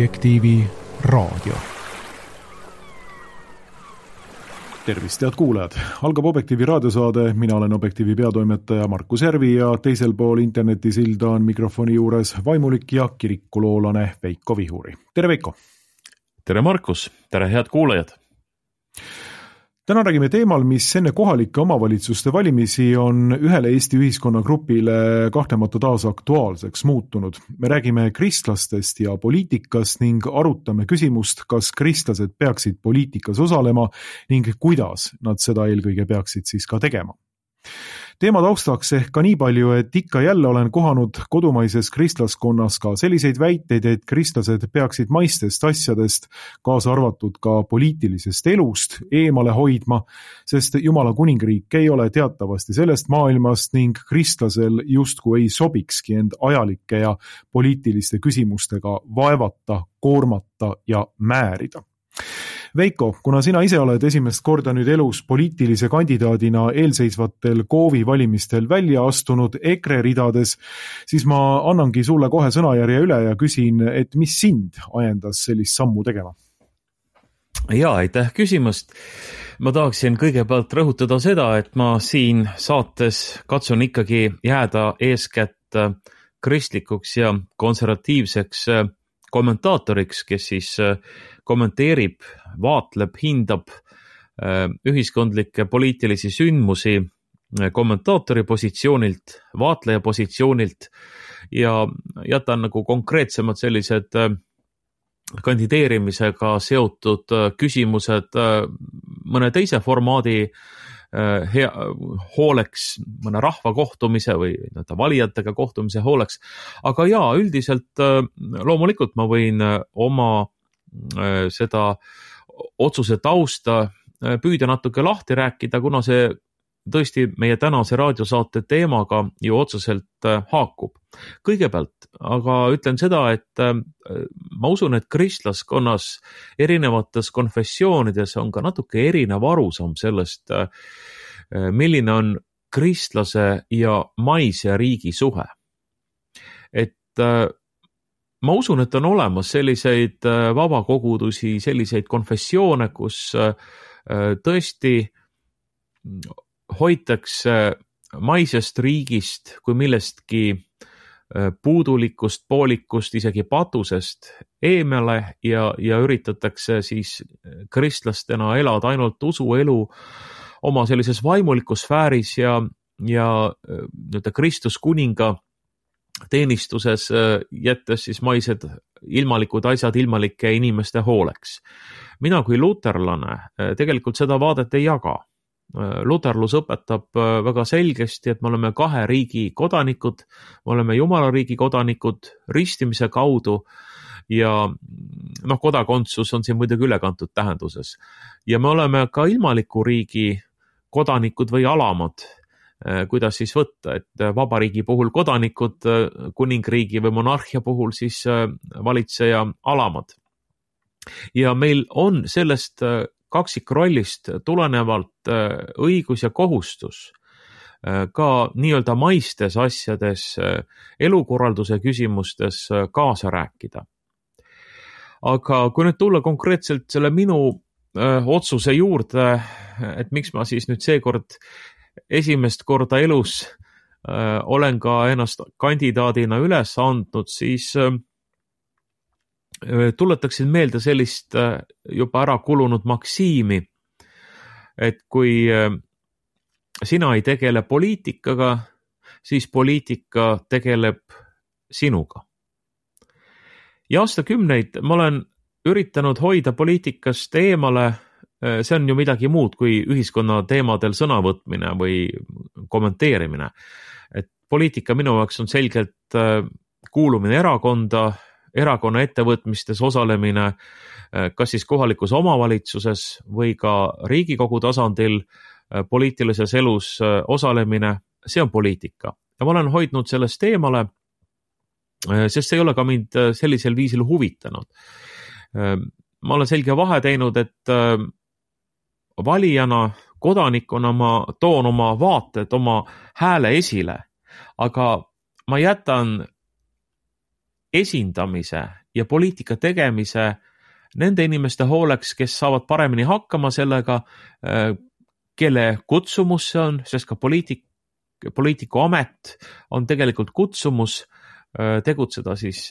Objektiivi raadio. Tervist, head kuulajad! Algab Objektiivi raadiosaade, mina olen Objektiivi peatoimetaja Markus Järvi ja teisel pool internetisilda on mikrofoni juures vaimulik ja kirikuloolane Veiko Vihuri. Tere Veiko! Tere Markus! Tere head kuulajad! Täna räägime teemal, mis enne kohalike omavalitsuste valimisi on ühele Eesti ühiskonnagrupile kahtlemata taas aktuaalseks muutunud. Me räägime kristlastest ja poliitikast ning arutame küsimust, kas kristlased peaksid poliitikas osalema ning kuidas nad seda eelkõige peaksid siis ka tegema. Teema taustaks ehk ka nii palju, et ikka jälle olen kohanud kodumaises kristlaskonnas ka selliseid väiteid, et kristlased peaksid maistest asjadest, kaasa arvatud ka poliitilisest elust, eemale hoidma, sest Jumala kuningriik ei ole teatavasti sellest maailmast ning kristlasel justkui ei sobikski end ajalike ja poliitiliste küsimustega vaevata, koormata ja määrida. Veiko, kuna sina ise oled esimest korda nüüd elus poliitilise kandidaadina eelseisvatel KOV-i valimistel välja astunud EKRE ridades, siis ma annangi sulle kohe sõnajärje üle ja küsin, et mis sind ajendas sellist sammu tegema? Jaa, aitäh küsimast. Ma tahaksin kõigepealt rõhutada seda, et ma siin saates katsun ikkagi jääda eeskätt kristlikuks ja konservatiivseks kommentaatoriks, kes siis kommenteerib, vaatleb, hindab ühiskondlikke poliitilisi sündmusi kommentaatori positsioonilt, vaatleja positsioonilt ja jätan nagu konkreetsemad sellised kandideerimisega seotud küsimused mõne teise formaadi hooleks, mõne rahva kohtumise või valijatega kohtumise hooleks. Aga jaa, üldiselt loomulikult ma võin oma seda otsuse tausta püüda natuke lahti rääkida, kuna see tõesti meie tänase raadiosaate teemaga ju otseselt haakub. Kõigepealt, aga ütlen seda, et ma usun, et kristlaskonnas erinevates konfessioonides on ka natuke erinev arusaam sellest, milline on kristlase ja maise riigi suhe. Et ma usun, et on olemas selliseid vabakogudusi, selliseid konfessioone, kus tõesti hoitakse maisest riigist kui millestki puudulikust, poolikust, isegi patusest eemale ja üritatakse siis kristlastena elada ainult usuelu oma sellises vaimulikus sfääris ja Kristus kuninga teenistuses jättes siis maised ilmalikud asjad ilmalike inimeste hooleks. Mina kui luterlane tegelikult seda vaadet ei jaga. Luterlus õpetab väga selgesti, et me oleme kahe riigi kodanikud, me oleme Jumala riigi kodanikud ristimise kaudu ja kodakondsus on siin muidugi ülekantud tähenduses. Ja me oleme ka ilmaliku riigi kodanikud või alamad, kuidas siis võtta, et vabariigi puhul kodanikud, kuningriigi või monarhia puhul siis valitseja alamad. Ja meil on sellest kaksikrollist tulenevalt õigus ja kohustus ka nii-öelda maistes asjades, elukorralduse küsimustes kaasa rääkida. Aga kui nüüd tulla konkreetselt selle minu otsuse juurde, et miks ma siis nüüd seekord esimest korda elus olen ka ennast kandidaadina üles andnud, siis tuletaksin meelde sellist juba ära kulunud maksiimi, et kui sina ei tegele poliitikaga, siis poliitika tegeleb sinuga. Ja aastakümneid ma olen üritanud hoida poliitikast eemale, see on ju midagi muud kui ühiskonna teemadel sõnavõtmine või kommenteerimine. Et poliitika minu jaoks on selgelt kuulumine erakonna ettevõtmistes osalemine, kas siis kohalikus omavalitsuses või ka Riigikogu tasandil poliitilises elus osalemine, see on poliitika. Ja ma olen hoidnud sellest eemale, sest see ei ole ka mind sellisel viisil huvitanud. Ma olen selge vahe teinud, et valijana, kodanikuna ma toon oma vaated, oma hääle esile, aga ma jätan esindamise ja poliitika tegemise nende inimeste hooleks, kes saavad paremini hakkama sellega, kelle kutsumus see on, sest ka poliitiku amet on tegelikult kutsumus tegutseda siis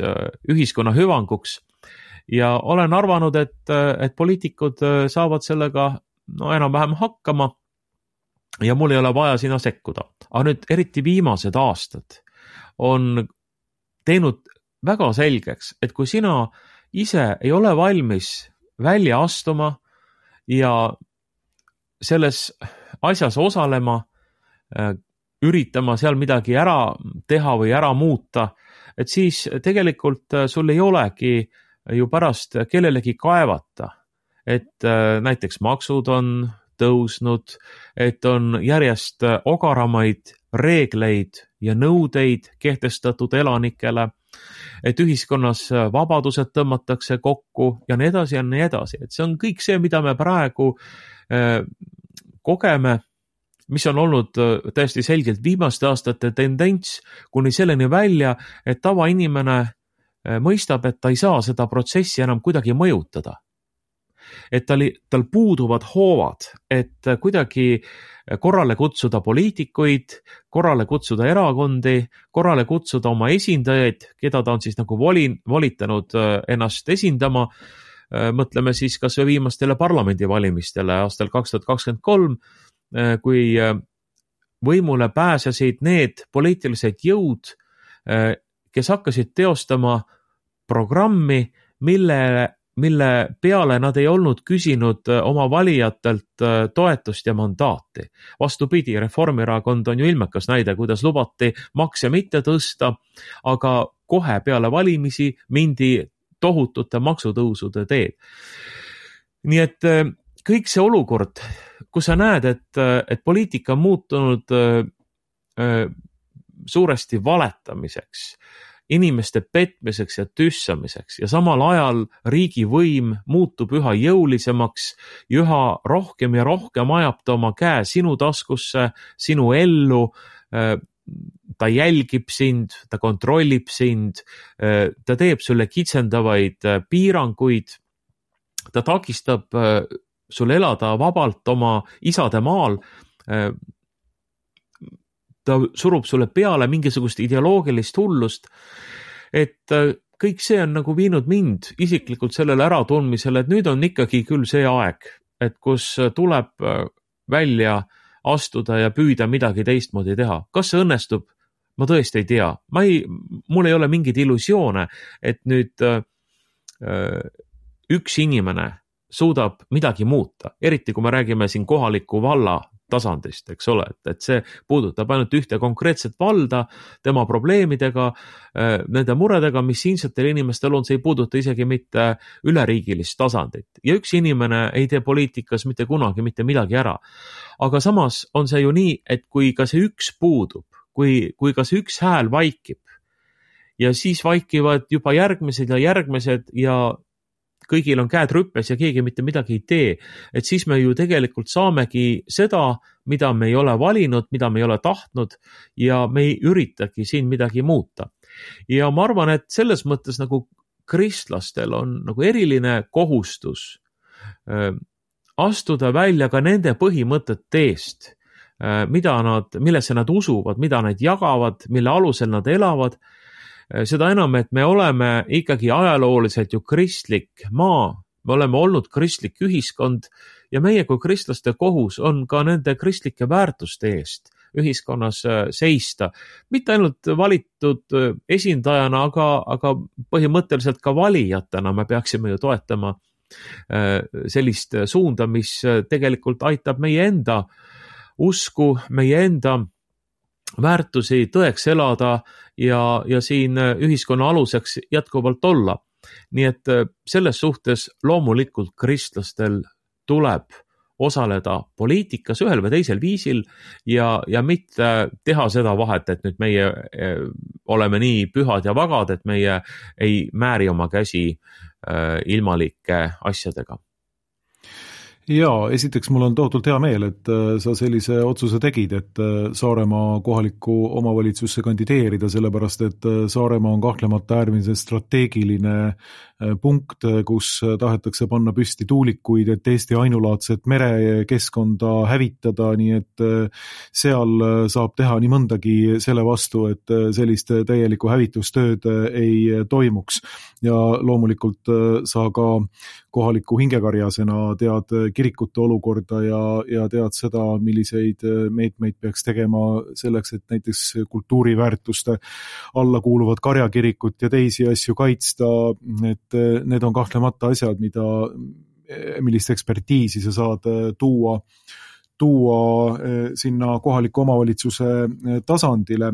ühiskonna hüvanguks. Ja olen arvanud, et poliitikud saavad sellega enam-vähem hakkama ja mul ei ole vaja sinna sekkuda. Aga nüüd eriti viimased aastad on teinud väga selgeks, et kui sina ise ei ole valmis välja astuma ja selles asjas osalema, üritama seal midagi ära teha või ära muuta, et siis tegelikult sul ei olegi ju pärast kellelegi kaevata, et näiteks maksud on tõusnud, et on järjest ogaramaid reegleid ja nõudeid kehtestatud elanikele, et ühiskonnas vabadused tõmmatakse kokku ja nii edasi ja nii edasi. Et see on kõik see, mida me praegu kogeme, mis on olnud täiesti selgelt viimaste aastate tendents kuni selleni välja, et tavainimene mõistab, et ta ei saa seda protsessi enam kuidagi mõjutada. Et tal puuduvad hoovad, et kuidagi korrale kutsuda poliitikuid, korrale kutsuda erakondi, korrale kutsuda oma esindajaid, keda ta on siis nagu volitanud ennast esindama. Mõtleme siis kas või viimastele parlamendivalimistele aastal 2023, kui võimule pääsesid need poliitilised jõud, kes hakkasid teostama programmi, mille peale nad ei olnud küsinud oma valijatelt toetust ja mandaati. Vastupidi, Reformierakond on ju ilmekas näide, kuidas lubati makse mitte tõsta, aga kohe peale valimisi mindi tohutute maksutõusude teed. Nii et kõik see olukord, kus sa näed, et poliitika on muutunud suuresti valetamiseks, inimeste petmiseks ja tüssamiseks ja samal ajal riigivõim muutub üha jõulisemaks, üha rohkem ja rohkem ajab ta oma käe sinu taskusse, sinu ellu, ta jälgib sind, ta kontrollib sind, ta teeb sulle kitsendavaid piiranguid, ta takistab sul elada vabalt oma isade maal, ta surub sulle peale mingisugust ideoloogilist hullust, et kõik see on nagu viinud mind isiklikult sellele äratundmisele, et nüüd on ikkagi küll see aeg, et kus tuleb välja astuda ja püüda midagi teistmoodi teha. Kas see õnnestub? Ma tõesti ei tea. Mul ei ole mingeid illusioone, et nüüd üks inimene suudab midagi muuta, eriti kui me räägime siin kohaliku valla tasandist, eks ole, et see puudutab ainult ühte konkreetset valda, tema probleemidega, nende muredega, mis siinsetel inimestel on, see ei puuduta isegi mitte üleriigilist tasandit. Ja üks inimene ei tee poliitikas mitte kunagi mitte midagi ära. Aga samas on see ju nii, et kui ka see üks puudub, kui ka see üks hääl vaikib ja siis vaikivad juba järgmised ja kõigil on käed rüppes ja keegi mitte midagi ei tee, et siis me ju tegelikult saamegi seda, mida me ei ole valinud, mida me ei ole tahtnud ja me ei üritagi siin midagi muuta. Ja ma arvan, et selles mõttes nagu kristlastel on nagu eriline kohustus astuda välja ka nende põhimõtete eest, millesse nad usuvad, mida nad jagavad, mille alusel nad elavad. Seda enam, et me oleme ikkagi ajalooliselt ju kristlik maa, me oleme olnud kristlik ühiskond ja meie kui kristlaste kohus on ka nende kristlike väärtuste eest ühiskonnas seista. Mitte ainult valitud esindajana, aga põhimõtteliselt ka valijatena me peaksime ju toetama sellist suunda, mis tegelikult aitab meie enda usku, meie enda väärtusi tõeks elada ja siin ühiskonna aluseks jätkuvalt olla. Nii et selles suhtes loomulikult kristlastel tuleb osaleda poliitikas ühel või teisel viisil ja mitte teha seda vahet, et nüüd meie oleme nii pühad ja vagad, et meie ei määri oma käsi ilmalike asjadega. Jaa, esiteks mul on tohutult hea meel, et sa sellise otsuse tegid, et Saaremaa kohalikku omavalitsusse kandideerida, sellepärast et Saaremaa on kahtlemata äärmiselt strateegiline punkt, kus tahetakse panna püsti tuulikuid, et Eesti ainulaadset merekeskkonda hävitada, nii et seal saab teha nii mõndagi selle vastu, et sellist täielikku hävitustööd ei toimuks. Ja loomulikult sa ka kohaliku hingekarjasena tead kirikute olukorda ja tead seda, milliseid meetmeid peaks tegema selleks, et näiteks kultuuriväärtuste alla kuuluvad karjakirikut ja teisi asju kaitsta, et need on kahtlemata asjad, millist ekspertiisi sa saad tuua sinna kohaliku omavalitsuse tasandile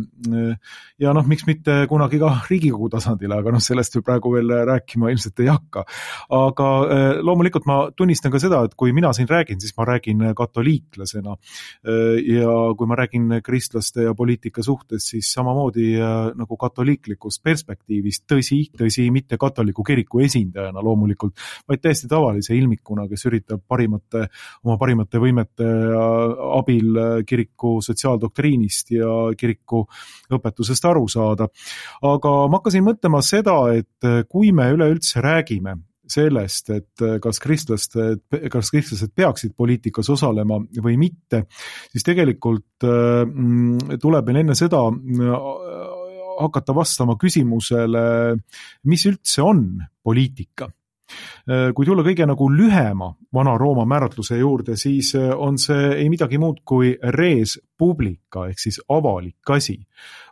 ja miks mitte kunagi ka Riigikogu tasandile, aga sellest praegu veel rääkima ilmselt ei hakka. Aga loomulikult ma tunnistan ka seda, et kui mina siin räägin, siis ma räägin katoliiklasena ja kui ma räägin kristlaste ja poliitika suhtes, siis samamoodi nagu katoliiklikust perspektiivist, tõsi, mitte katoliku kiriku esindajana loomulikult, vaid täiesti tavalise ilmikuna, kes üritab oma parimate võimete abil kiriku sotsiaaldoktriinist ja kiriku õpetusest aru saada. Aga ma hakkasin mõtlema seda, et kui me üleüldse räägime sellest, et kas kristlased peaksid poliitikas osalema või mitte, siis tegelikult tuleb meil enne seda hakata vastama küsimusele, mis üldse on poliitika. Kui tulla kõige lühema Vana-Rooma määratluse juurde, siis on see ei midagi muud kui res publica ehk siis avalik asi.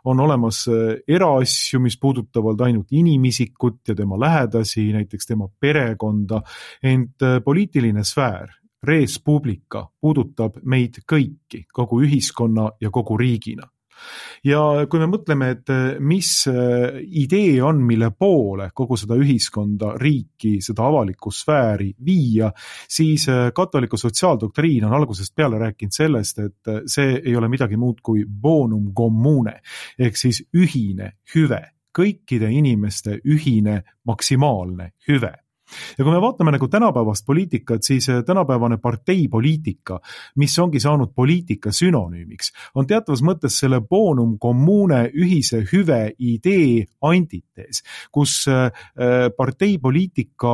On olemas eraasju, mis puudutavad ainult inimisikut ja tema lähedasi, näiteks tema perekonda, ent poliitiline sfäär, res publica, puudutab meid kõiki, kogu ühiskonna ja kogu riigina. Ja kui me mõtleme, et mis idee on, mille poole kogu seda ühiskonda, riiki, seda avalikku sfääri viia, siis katoliku sotsiaaldoktriin on algusest peale rääkinud sellest, et see ei ole midagi muud kui bonum commune, ehk siis ühine hüve, kõikide inimeste ühine maksimaalne hüve. Ja kui me vaatame tänapäevast poliitikat, siis tänapäevane parteipoliitika, mis ongi saanud poliitika sünonüümiks, on teatavas mõttes selle bonum commune ühise hüve idee antitees, kus parteipoliitika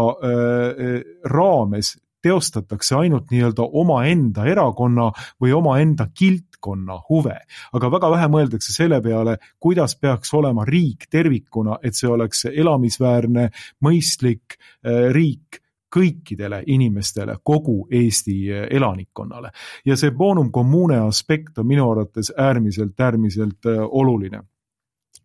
raames teostatakse ainult nii-öelda omaenda erakonna või omaenda kiltkonna huve. Aga väga vähe mõeldakse selle peale, kuidas peaks olema riik tervikuna, et see oleks elamisväärne, mõistlik riik kõikidele inimestele, kogu Eesti elanikkonnale. Ja see bonum commune aspekt on minu arvates äärmiselt oluline.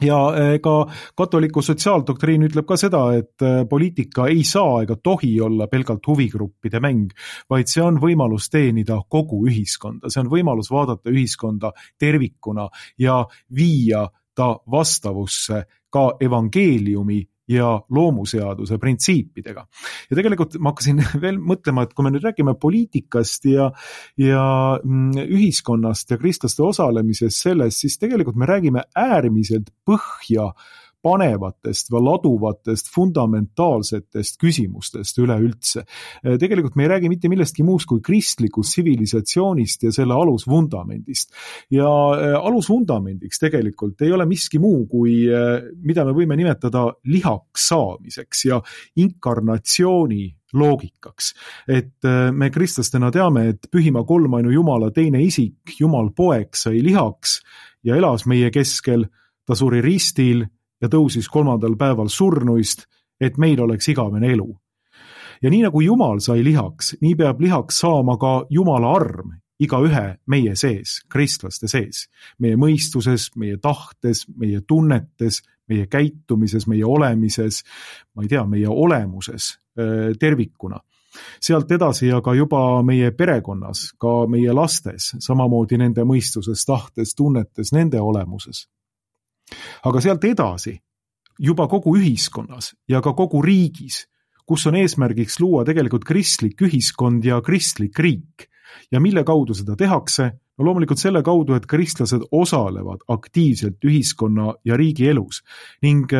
Ja ka katoliku sotsiaaldoktriin ütleb ka seda, et poliitika ei saa ega tohi olla pelgalt huvigruppide mäng, vaid see on võimalus teenida kogu ühiskonda, see on võimalus vaadata ühiskonda tervikuna ja viia ta vastavusse ka evangeeliumi ja loomuseaduse printsiipidega. Ja tegelikult ma hakkasin veel mõtlema, et kui me nüüd räägime poliitikast ja ühiskonnast ja kristlaste osalemisest selles, siis tegelikult me räägime äärmiselt põhja panevatest või laduvatest fundamentaalsetest küsimustest üleüldse. Tegelikult me ei räägi mitte millestki muust kui kristlikust tsivilisatsioonist ja selle alusvundamendist. Ja alusvundamendiks tegelikult ei ole miski muu kui, mida me võime nimetada lihaks saamiseks ja inkarnatsiooni loogikaks. Et me kristlastena teame, et pühima kolmainu Jumala teine isik, Jumal poeg sai lihaks ja elas meie keskel, ta suri ristil ja tõusis 3. päeval surnuist, et meil oleks igavene elu. Ja nii nagu Jumal sai lihaks, nii peab lihaks saama ka Jumala arm igaühe meie sees, kristlaste sees, meie mõistuses, meie tahtes, meie tunnetes, meie käitumises, meie olemises, ma ei tea, meie olemuses tervikuna. Sealt edasi aga juba meie perekonnas, ka meie lastes, samamoodi nende mõistuses, tahtes, tunnetes, nende olemuses. Aga sealt edasi, juba kogu ühiskonnas ja ka kogu riigis, kus on eesmärgiks luua tegelikult kristlik ühiskond ja kristlik riik. Ja mille kaudu seda tehakse? No loomulikult selle kaudu, et kristlased osalevad aktiivselt ühiskonna ja riigi elus ning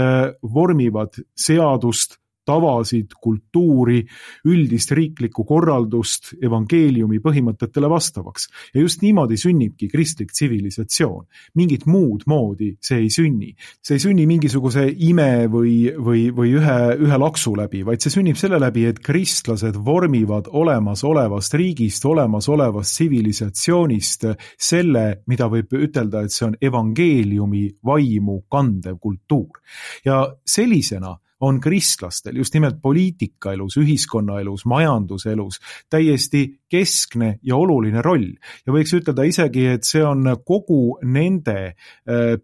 vormivad seadust, tavasid, kultuuri, üldist riiklikku korraldust evangeeliumi põhimõtetele vastavaks. Ja just niimoodi sünnibki kristlik tsivilisatsioon. Mingit muud moodi see ei sünni. See ei sünni mingisuguse ime või ühe laksu läbi, vaid see sünnib selle läbi, et kristlased vormivad olemasolevast riigist, olemasolevast tsivilisatsioonist selle, mida võib ütelda, et see on evangeeliumi vaimu kandev kultuur. Ja sellisena on kristlastel just nimelt poliitikaelus, ühiskonnaelus, majanduselus täiesti keskne ja oluline roll. Ja võiks ütelda isegi, et see on kogu nende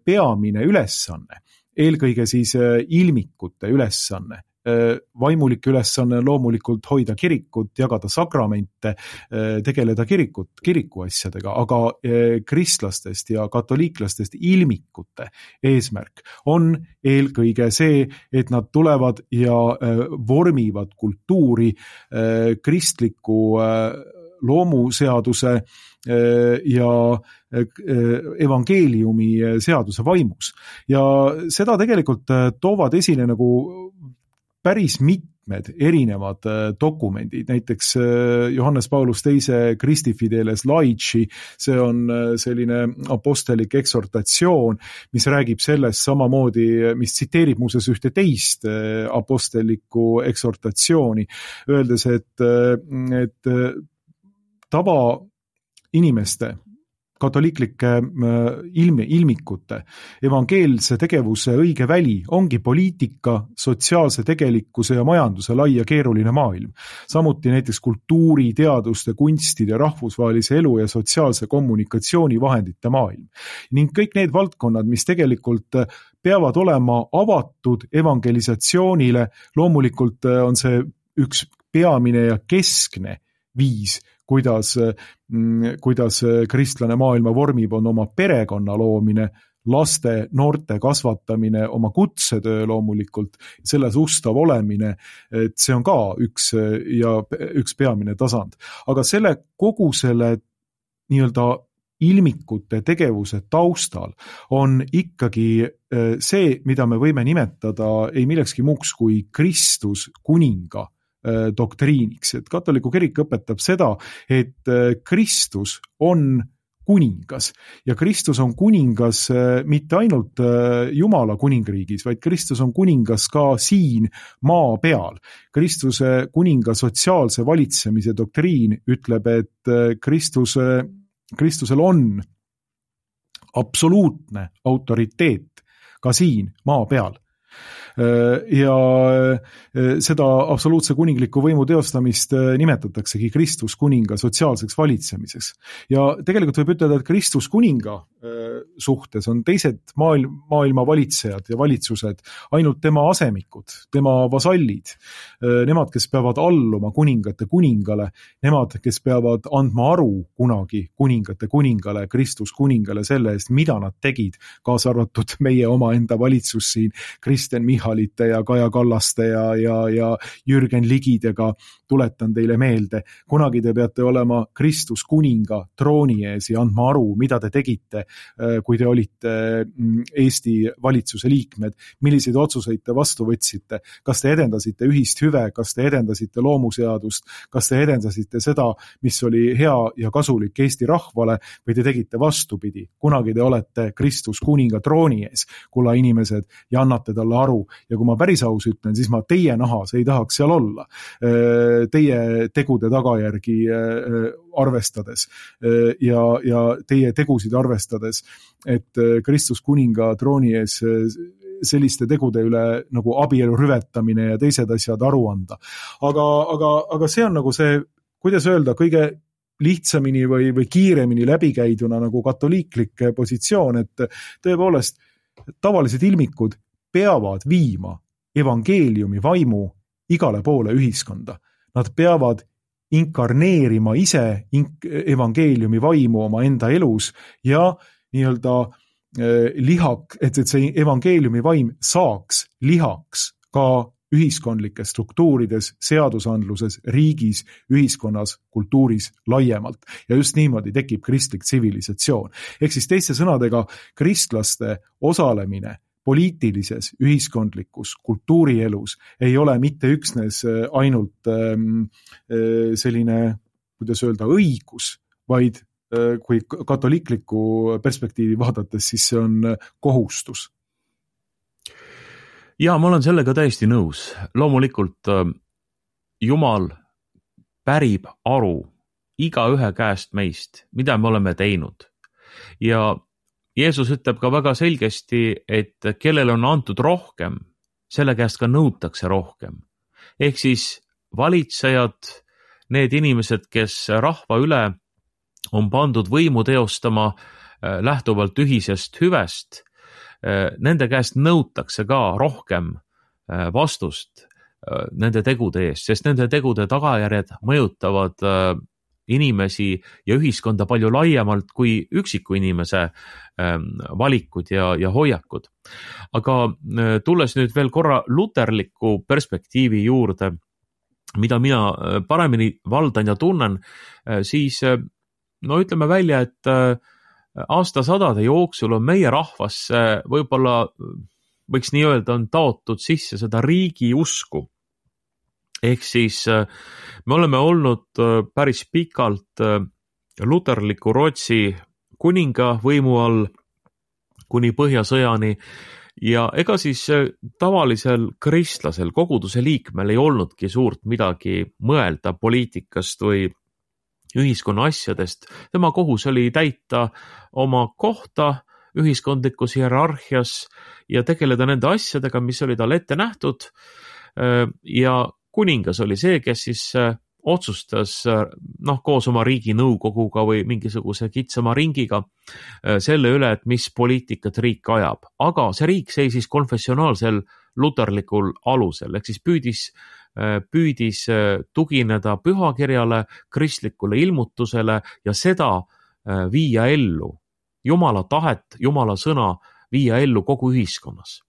peamine ülesanne, eelkõige siis ilmikute ülesanne. Vaimulik ülesanne loomulikult hoida kirikut, jagada sakramente, tegeleda kiriku asjadega, aga kristlastest ja katoliiklastest ilmikute eesmärk on eelkõige see, et nad tulevad ja vormivad kultuuri kristliku loomuseaduse ja evangeeliumi seaduse vaimus. Ja seda tegelikult toovad esile nagu päris mitmed erinevad dokumendid, näiteks Johannes Paulus II Christi Fideles Laici, see on selline apostelik eksortatsioon, mis räägib sellest samamoodi, mis tsiteerib muuseas ühte teist apostelikku eksortatsiooni, öeldes, et tava inimeste katoliiklike ilmikute evangeelse tegevuse õige väli ongi poliitika, sotsiaalse tegelikkuse ja majanduse lai ja keeruline maailm. Samuti näiteks kultuuri, teaduste, kunstide, rahvusvahelise elu ja sotsiaalse kommunikatsiooni vahendite maailm. Ning kõik need valdkonnad, mis tegelikult peavad olema avatud evangelisatsioonile, loomulikult on see üks peamine ja keskne viis, kuidas kristlane maailma vormib, on oma perekonna loomine, laste, noorte kasvatamine, oma kutsetöö loomulikult, selles ustav olemine, et see on ka üks peamine tasand. Aga kogu selle nii-öelda ilmikute tegevuse taustal on ikkagi see, mida me võime nimetada ei millekski muuks kui Kristus kuninga doktriiniks, et katoliku kirik õpetab seda, et Kristus on kuningas ja Kristus on kuningas mitte ainult Jumala kuningriigis, vaid Kristus on kuningas ka siin maa peal. Kristuse kuninga sotsiaalse valitsemise doktriin ütleb, et Kristusel on absoluutne autoriteet ka siin maa peal. Ja seda absoluutse kuningliku võimu teostamist nimetataksegi Kristus kuninga sotsiaalseks valitsemiseks. Ja tegelikult võib ütelda, et Kristus kuninga suhtes on teised maailma valitsejad ja valitsused ainult tema asemikud, tema vasallid, nemad, kes peavad alluma kuningate kuningale, nemad, kes peavad andma aru kunagi kuningate kuningale, Kristus kuningale selle eest, mida nad tegid, kaasa arvatud meie omaenda valitsus siin, Kristen Michalite ja Kaja Kallaste ja Jürgen Ligidega, tuletan teile meelde, kunagi te peate olema Kristus kuninga trooni ees ja andma aru, mida te tegite, kui te olite Eesti valitsuse liikmed, milliseid otsuseid te vastu võtsite, kas te edendasite ühist hüve, kas te edendasite loomuseadust, kas te edendasite seda, mis oli hea ja kasulik Eesti rahvale, või te tegite vastupidi. Kunagi te olete Kristus kuninga trooni ees, kulla inimesed, ja annate talle aru. Ja kui ma päris aus ütlen, siis ma teie nahas ei tahaks seal olla. Teie tegude tagajärgi arvestades ja teie tegusid arvestades, et Kristus kuninga trooni ees selliste tegude üle nagu abielu rüvetamine ja teised asjad aru anda. Aga see on nagu see, kuidas öelda, kõige lihtsamini või kiiremini läbikäiduna nagu katoliiklik positsioon, et tõepoolest tavalised ilmikud peavad viima evangeeliumi vaimu igale poole ühiskonda. Nad peavad inkarneerima ise evangeeliumi vaimu oma enda elus ja nii-öelda et see evangeeliumi vaim saaks lihaks ka ühiskondlikes struktuurides, seadusandluses, riigis, ühiskonnas, kultuuris laiemalt. Ja just niimoodi tekib kristlik tsivilisatsioon. Ehk siis teiste sõnadega, kristlaste osalemine poliitilises, ühiskondlikus, kultuurielus ei ole mitte üksnes ainult selline, kuidas öelda, õigus, vaid kui katoliikliku perspektiivi vaadates, siis see on kohustus. Ja ma olen sellega täiesti nõus. Loomulikult Jumal pärib aru igaühe käest meist, mida me oleme teinud. Ja Jeesus ütleb ka väga selgesti, et kellel on antud rohkem, selle käest ka nõutakse rohkem. Ehk siis valitsejad, need inimesed, kes rahva üle on pandud võimu teostama lähtuvalt ühisest hüvest, nende käest nõutakse ka rohkem vastust nende tegude eest, sest nende tegude tagajärjed mõjutavad inimesi ja ühiskonda palju laiemalt kui üksiku inimese valikud ja hoiakud. Aga tulles nüüd veel korra luterliku perspektiivi juurde, mida mina paremini valdan ja tunnen, siis ütleme välja, et aastasadade jooksul on meie rahvasse võib-olla, võiks nii öelda, on taotud sisse seda riigi usku. Ehk siis me oleme olnud päris pikalt luterliku Rootsi kuninga võimu all kuni Põhjasõjani ja ega siis tavalisel kristlasel, koguduse liikmel ei olnudki suurt midagi mõelda poliitikast või ühiskonna asjadest. Tema kohus oli täita oma kohta ühiskondlikus hierarhias ja tegeleda nende asjadega, mis oli tal ette nähtud ja kuningas oli see, kes siis otsustas koos oma riigi nõukoguga või mingisuguse kitsama ringiga selle üle, et mis poliitikat riik ajab. Aga see riik seisis konfessionaalsel luterlikul alusel, ehk siis püüdis tugineda pühakirjale, kristlikule ilmutusele ja seda viia ellu, Jumala tahet, Jumala sõna viia ellu kogu ühiskonnas.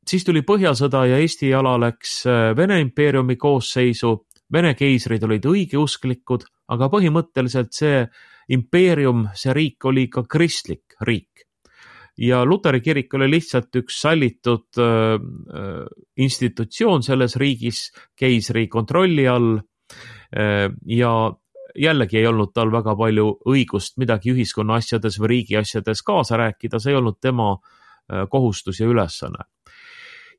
Siis tuli Põhjasõda ja Eesti ala läks Vene impeeriumi koosseisu. Vene keisrid olid õigeusklikud, aga põhimõtteliselt see impeerium, see riik oli ka kristlik riik. Ja Luteri kirik oli lihtsalt üks sallitud institutsioon selles riigis keisri kontrolli all ja jällegi ei olnud tal väga palju õigust midagi ühiskonna asjades või riigi asjades kaasa rääkida, see ei olnud tema kohustus ja ülesanne.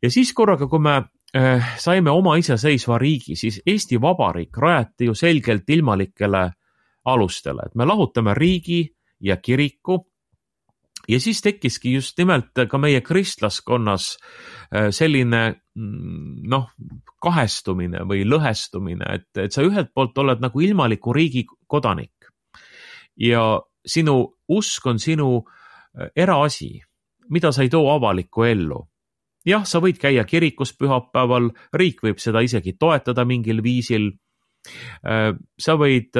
Ja siis korraga, kui me saime oma iseseisva riigi, siis Eesti Vabariik rajati ju selgelt ilmalikele alustele, et me lahutame riigi ja kiriku ja siis tekkiski just nimelt ka meie kristlaskonnas selline kahestumine või lõhestumine, et sa ühelt poolt oled nagu ilmaliku riigi kodanik ja sinu usk on sinu eraasi, mida sa ei too avalikku ellu. Jah, sa võid käia kirikus pühapäeval, riik võib seda isegi toetada mingil viisil. Sa võid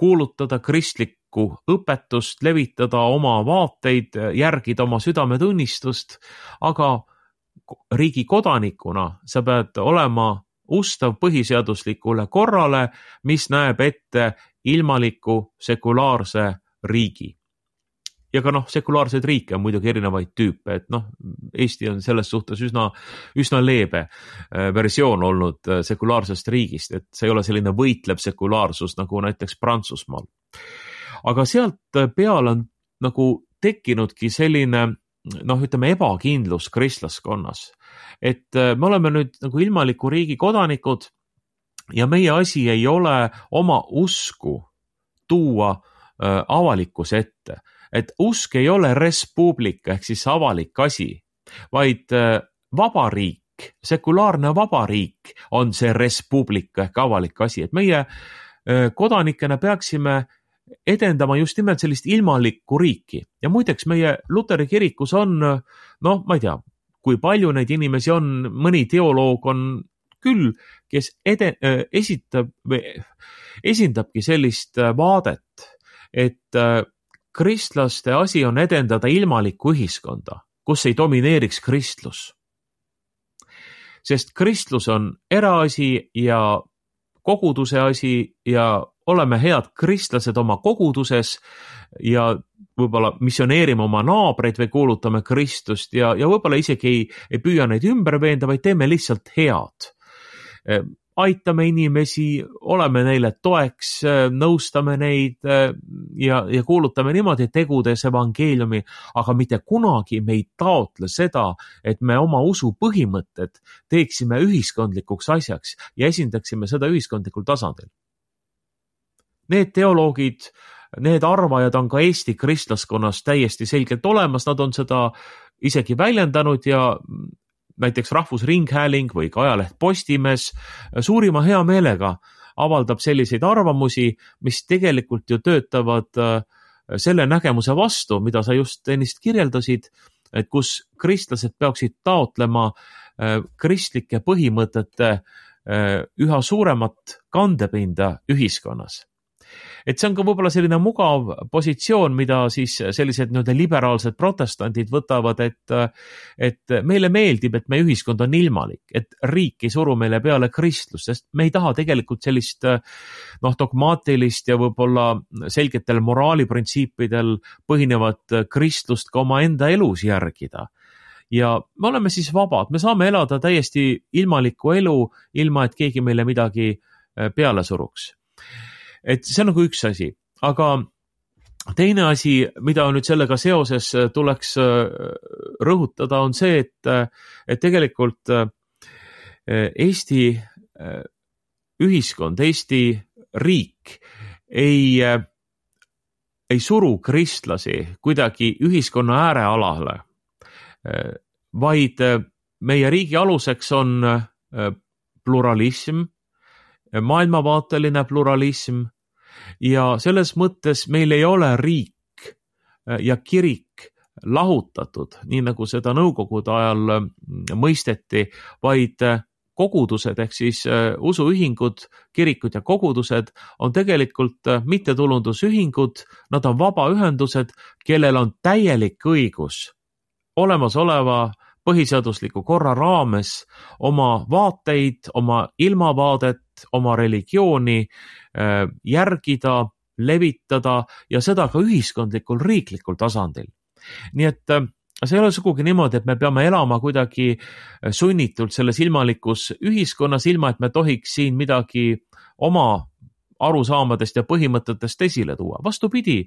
kuulutada kristlikku õpetust, levitada oma vaateid, järgida oma südametunnistust, aga riigi kodanikuna sa pead olema ustav põhiseaduslikule korrale, mis näeb ette ilmaliku sekulaarse riigi. Ja ka sekulaarseid riike on muidugi erinevaid tüüpe, et Eesti on selles suhtes üsna leebe versioon olnud sekulaarsest riigist, et see ei ole selline võitlev sekulaarsus nagu näiteks Prantsusmaal. Aga sealt peale on nagu tekkinudki selline, ütleme, ebakindlus kristlaskonnas, et me oleme nüüd nagu ilmaliku riigi kodanikud ja meie asi ei ole oma usku tuua avalikkuse ette. Et usk ei ole res publica ehk siis avalik asi, vaid vabariik, sekulaarne vabariik on see res publica ehk avalik asi, et meie kodanikena peaksime edendama just nimelt sellist ilmalikku riiki. Ja muideks meie Luteri kirikus on, ma ei tea, kui palju neid inimesi on, mõni teoloog on küll, kes esindabki sellist vaadet, et kristlaste asi on edendada ilmalikku ühiskonda, kus ei domineeriks kristlus. Sest kristlus on eraasi ja koguduse asi ja oleme head kristlased oma koguduses ja võib-olla missioneerime oma naabreid või kuulutame Kristust ja võib-olla isegi ei püüa neid ümber veenda, vaid teeme lihtsalt head. Aitame inimesi, oleme neile toeks, nõustame neid ja kuulutame niimoodi tegudes evangeeliumi, aga mitte kunagi me ei taotle seda, et me oma usu põhimõtted teeksime ühiskondlikuks asjaks ja esindaksime seda ühiskondlikul tasandil. Need teoloogid, need arvajad on ka Eesti kristlaskonnas täiesti selgelt olemas, nad on seda isegi väljendanud ja näiteks Rahvusringhääling või ka ajaleht Postimees suurima hea meelega avaldab selliseid arvamusi, mis tegelikult ju töötavad selle nägemuse vastu, mida sa just ennist kirjeldasid, et kus kristlased peaksid taotlema kristlike põhimõtete üha suuremat kandepinda ühiskonnas. Et see on ka võib-olla selline mugav positsioon, mida siis sellised liberaalsed protestandid võtavad, et meile meeldib, et meie ühiskond on ilmalik, et riik ei suru meile peale kristlust, sest me ei taha tegelikult sellist dogmaatilist ja võib-olla selgetel moraaliprintsiipidel põhinevat kristlust ka oma enda elus järgida. Ja me oleme siis vabad, me saame elada täiesti ilmalikku elu, ilma et keegi meile midagi peale suruks. Et see on nagu üks asi, aga teine asi, mida nüüd sellega seoses tuleks rõhutada, on see, et tegelikult Eesti ühiskond, Eesti riik ei suru kristlasi kuidagi ühiskonna äärealale, vaid meie riigi aluseks on pluralism, maailmavaateline pluralism ja selles mõttes meil ei ole riik ja kirik lahutatud, nii nagu seda nõukogude ajal mõisteti, vaid kogudused ehk siis usuühingud, kirikud ja kogudused on tegelikult mittetulundusühingud, nad on vabaühendused, kellel on täielik õigus olemasoleva põhiseadusliku korra raames oma vaateid, oma ilmavaadet, oma religiooni järgida, levitada ja seda ka ühiskondlikul riiklikul tasandil. Nii et see ei ole sugugi niimoodi, et me peame elama kuidagi sunnitult selles ilmalikus ühiskonnas, ilma et me tohiks siin midagi oma arusaamadest ja põhimõtetest esile tuua. Vastupidi,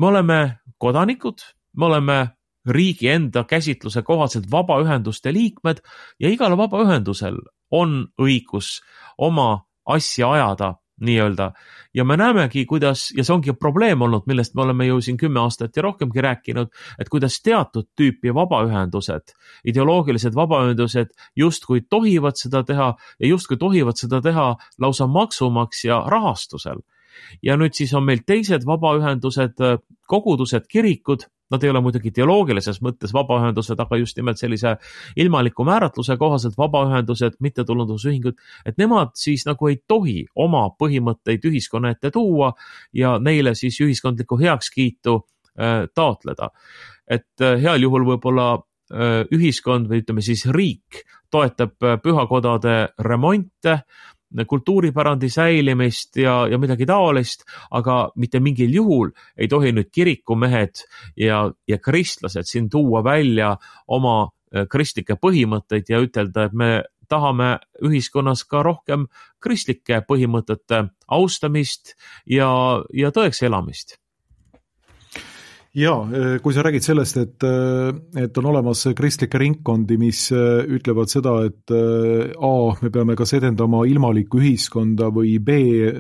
me oleme kodanikud, me oleme riigi enda käsitluse kohaselt vabaühenduste liikmed ja igal vabaühendusel on õigus oma asja ajada nii-öelda. Ja me näemegi, kuidas, ja see ongi probleem olnud, millest me oleme ju siin 10 aastat ja rohkemgi rääkinud, et kuidas teatud tüüpi vabaühendused, ideoloogilised vabaühendused justkui tohivad seda teha ja justkui tohivad seda teha lausa maksumaksja rahastusel. Ja nüüd siis on meil teised vabaühendused, kogudused, kirikud, nad ei ole muidugi teoloogilises mõttes vabaühendused, aga just nimelt sellise ilmaliku määratluse kohaselt vabaühendused, mittetulundusühingud, et nemad siis nagu ei tohi oma põhimõtteid ühiskonna ette tuua ja neile siis ühiskondlikku heakskiitu taotleda. Et heal juhul võib-olla ühiskond või ütleme siis riik toetab pühakodade remonte, kultuuripärandi säilimist ja midagi taolist, aga mitte mingil juhul ei tohi nüüd kirikumehed ja kristlased siin tuua välja oma kristlikke põhimõtteid ja ütelda, et me tahame ühiskonnas ka rohkem kristlike põhimõtete austamist ja tõeks elamist. Ja, kui sa räägid sellest, et on olemas kristlikke ringkondi, mis ütlevad seda, et A, me peame kas edendama ilmalikku ühiskonda või B,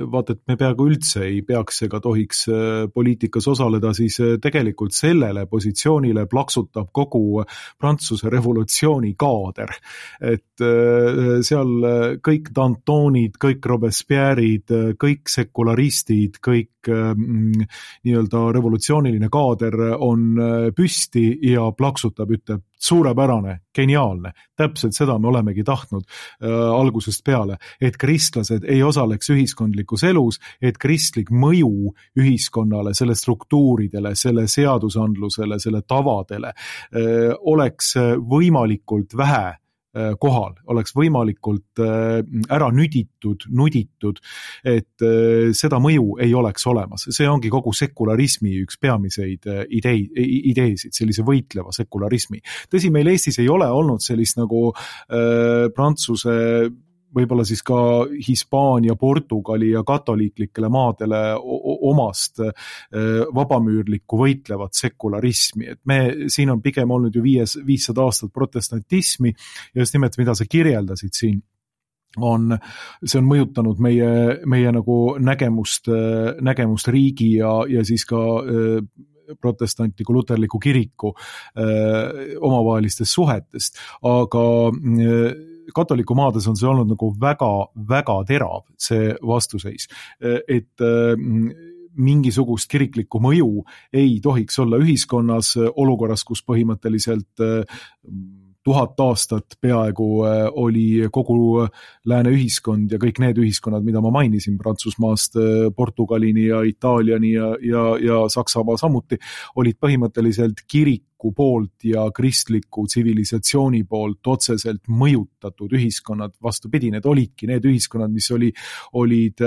vaat et me peaaegu üldse ei peaks ega tohiks poliitikas osaleda, siis tegelikult sellele positsioonile plaksutab kogu Prantsuse revolutsiooni kaader. Et seal kõik Dantonid, kõik Robespierre'id, kõik sekularistid, kõik nii-öelda revolutsiooniline kaader on püsti ja plaksutab, ütleb suurepärane, geniaalne. Täpselt seda me olemegi tahtnud algusest peale, et kristlased ei osaleks ühiskondlikus elus, et kristlik mõju ühiskonnale, selle struktuuridele, selle seadusandlusele, selle tavadele oleks võimalikult vähe kohal, oleks võimalikult ära nuditud, et seda mõju ei oleks olemas. See ongi kogu sekularismi üks peamiseid ideesid, sellise võitleva sekularismi. Tõsi, meil Eestis ei ole olnud sellist nagu Prantsuse, võib-olla siis ka Hispaania, Portugali ja katoliiklikele maadele omast vabamüürlikku võitlevat sekularismi. Et siin on pigem olnud ju 500 aastat protestantismi ja just nimelt, mida sa kirjeldasid siin, see on mõjutanud meie nagu nägemust riigi ja siis ka protestantliku luterliku kiriku omavahelistest suhetest, aga katoliku maades on see olnud nagu väga terav, see vastuseis, et mingisugust kiriklikku mõju ei tohiks olla ühiskonnas olukorras, kus põhimõtteliselt 1000 aastat peaaegu oli kogu lääne ühiskond ja kõik need ühiskonnad, mida ma mainisin, Prantsusmaast Portugalini ja Itaaliani ja Saksamaa samuti, olid põhimõtteliselt kiriku poolt ja kristliku tsivilisatsiooni poolt otseselt mõjutatud ühiskonnad. Vastupidi, need olidki need ühiskonnad, mis olid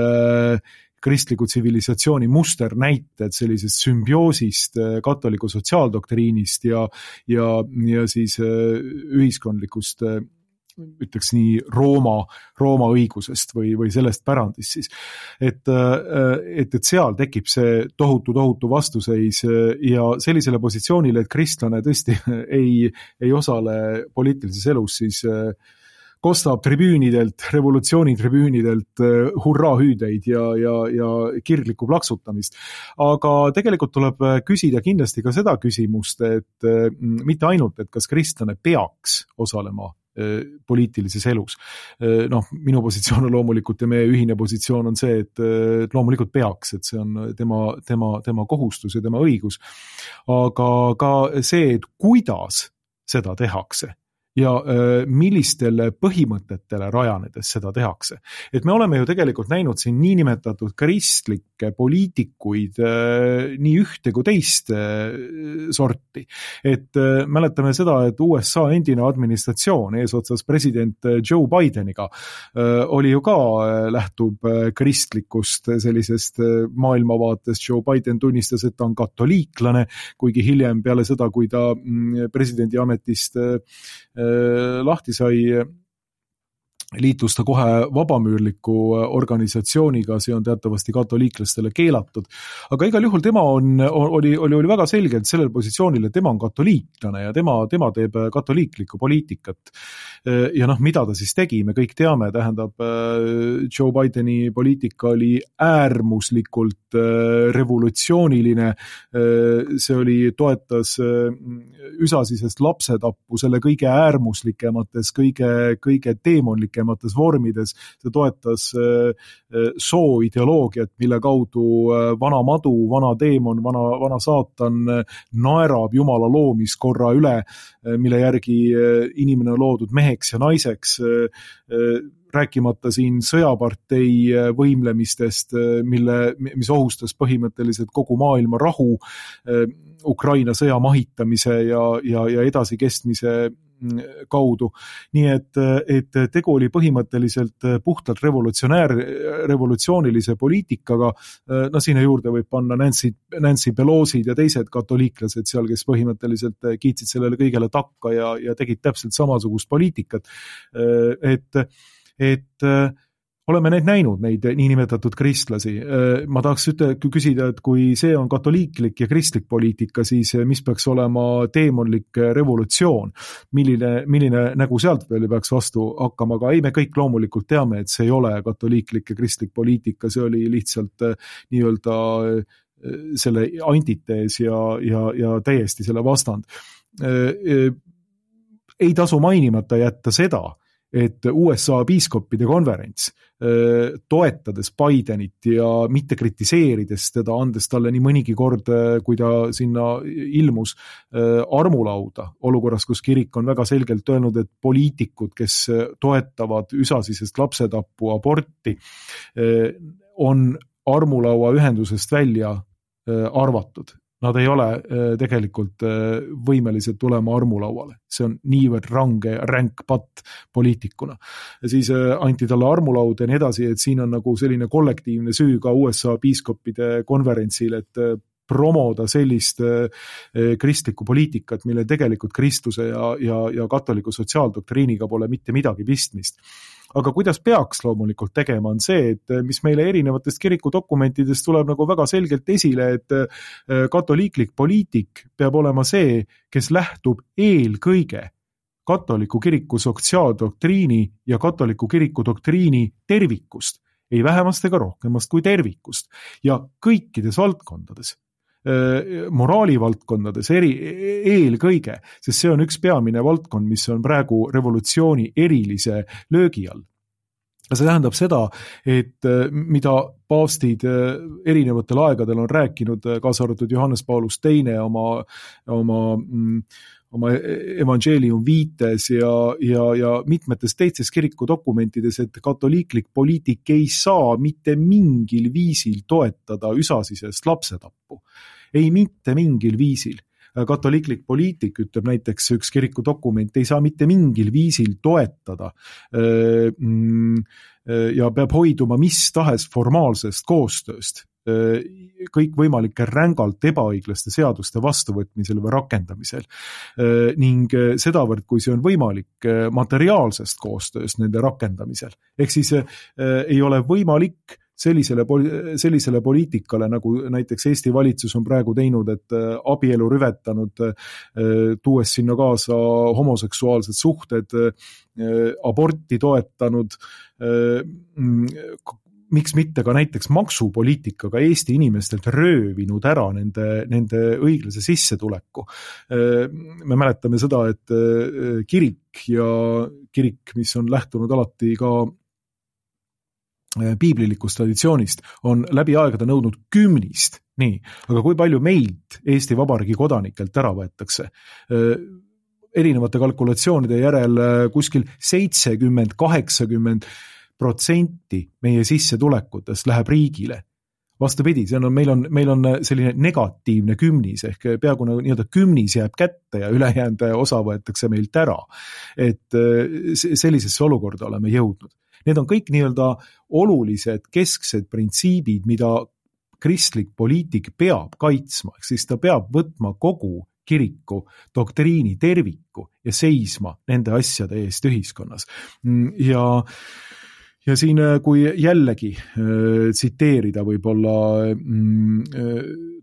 kristliku tsivilisatsiooni musternäited sellisest sümbioosist katoliku sotsiaaldoktriinist ja siis ühiskondlikust, ütleks nii, Rooma õigusest või sellest pärandist siis. Et seal tekib see tohutu vastuseis ja sellisele positsioonile, et kristlane tõesti ei osale poliitilises elus, siis kostab tribüünidelt, revolutsioonitribüünidelt hurraahüüdeid ja kirglikku plaksutamist. Aga tegelikult tuleb küsida kindlasti ka seda küsimust, et mitte ainult, et kas kristlane peaks osalema poliitilises elus. Minu positsioon on loomulikult ja meie ühine positsioon on see, et loomulikult peaks, et see on tema kohustus ja tema õigus. Aga ka see, et kuidas seda tehakse ja millistele põhimõtetele rajanedes seda tehakse. Et me oleme ju tegelikult näinud siin niinimetatud kristlikke poliitikuid nii ühte kui teist sorti. Et mäletame seda, et USA endine administratsioon eesotsas president Joe Bideniga oli ju ka lähtub kristlikust sellisest maailmavaatest. Joe Biden tunnistas, et ta on katoliiklane, kuigi hiljem peale seda, kui ta presidendi ametist lahti sai, liitus ta kohe vabamüürliku organisatsiooniga, see on teatavasti katoliiklastele keelatud. Aga igal juhul tema oli väga selgelt sellel positsioonil, et tema on katoliiklane ja tema teeb katoliiklikku poliitikat. Ja mida ta siis tegi, me kõik teame, tähendab, Joe Bideni poliitika oli äärmuslikult revolutsiooniline, see toetas üsasisest lapsetappu selle kõige äärmuslikumates, kõige teemonlikemates vormides, see toetas sooideoloogiat, mille kaudu vana madu, vana teemon, vana saatan naerab Jumala loomiskorra üle, mille järgi inimene on loodud meheks ja naiseks, rääkimata siin sõjapartei võimlemistest, mis ohustas põhimõtteliselt kogu maailma rahu, Ukraina sõja mahitamise ja edasikestmise kaudu. Nii et tegu oli põhimõtteliselt puhtalt revolutsioonilise poliitikaga. Sinna juurde võib panna Nancy Pelosi ja teised katoliiklased seal, kes põhimõtteliselt kiitsid sellele kõigele takka ja tegid täpselt samasugust poliitikat. Et oleme näinud neid niinimetatud kristlasi. Ma tahaks küsida, et kui see on katoliiklik ja kristlik poliitika, siis mis peaks olema teemonlik revolutsioon? Milline nägu sealt veel peaks vastu hakkama? Aga ei, me kõik loomulikult teame, et see ei ole katoliiklik ja kristlik poliitika, see oli lihtsalt nii-öelda selle antitees ja täiesti selle vastand. Ei tasu mainimata jätta seda, et USA piiskopide konverents, toetades Bidenit ja mitte kritiseerides teda, andes talle nii mõnigi kord, kui ta sinna ilmus, armulauda olukorras, kus kirik on väga selgelt öelnud, et poliitikud, kes toetavad üsasisest lapsetappu, aborti, on armulaua ühendusest välja arvatud. Nad ei ole tegelikult võimelised tulema armulauale. See on niivõrd ränk patt poliitikuna. Ja siis anti talle armulaud ja nii edasi, et siin on nagu selline kollektiivne süü ka USA piiskopide konverentsil, et promoda sellist kristlikku poliitikat, mille tegelikult kristluse ja katoliku sotsiaaldoktriiniga pole mitte midagi pistmist. Aga kuidas peaks loomulikult tegema on see, et mis meile erinevatest kirikudokumentidest tuleb nagu väga selgelt esile, et katoliiklik poliitik peab olema see, kes lähtub eelkõige katoliku kiriku sotsiaaldoktriini ja katoliku kiriku doktriini tervikust, ei vähemast ega rohkemast kui tervikust ja kõikides valdkondades. Moraalivaldkondades eelkõige, sest see on üks peamine valdkond, mis on praegu revolutsiooni erilise löögi all. See tähendab seda, et mida paavstid erinevatel aegadel on rääkinud, kaasa arvatud Johannes Paulus II oma evangeelium viites ja mitmetes teistes kirikudokumentides, et katoliiklik poliitik ei saa mitte mingil viisil toetada üsasisest lapsetappu. Ei mitte mingil viisil. Katoliiklik poliitik, ütleb näiteks üks kirikudokument, ei saa mitte mingil viisil toetada ja peab hoiduma mis tahes formaalsest koostööst kõikvõimalike rängalt ebaõiglaste seaduste vastuvõtmisel või rakendamisel ning sedavõrd, kui see on võimalik materiaalsest koostööst nende rakendamisel. Ehk siis ei ole võimalik sellisele poliitikale, nagu näiteks Eesti valitsus on praegu teinud, et abielu rüvetanud, tuues sinna kaasa homoseksuaalsed suhted, aborti toetanud, miks mitte ka näiteks maksupoliitikaga Eesti inimestelt röövinud ära nende õiglase sissetuleku. Me mäletame seda, et kirik, mis on lähtunud alati ka piiblilikust traditsioonist, on läbi aegade nõudnud 10, nii, aga kui palju meilt Eesti Vabariigi kodanikelt ära võetakse? Erinevate kalkulatsioonide järel kuskil 70-80% meie sissetulekutest läheb riigile. Vastupidi, meil on selline negatiivne 10, ehk peaaegu nii-öelda 10 jääb kätte ja ülejäänud osa võetakse meilt ära. Et sellisesse olukorda oleme jõudnud. Need on kõik nii-öelda olulised kesksed printsiibid, mida kristlik poliitik peab kaitsma, ehk siis ta peab võtma kogu kiriku doktriini terviku ja seisma nende asjade eest ühiskonnas. Ja siin, kui jällegi tsiteerida võib-olla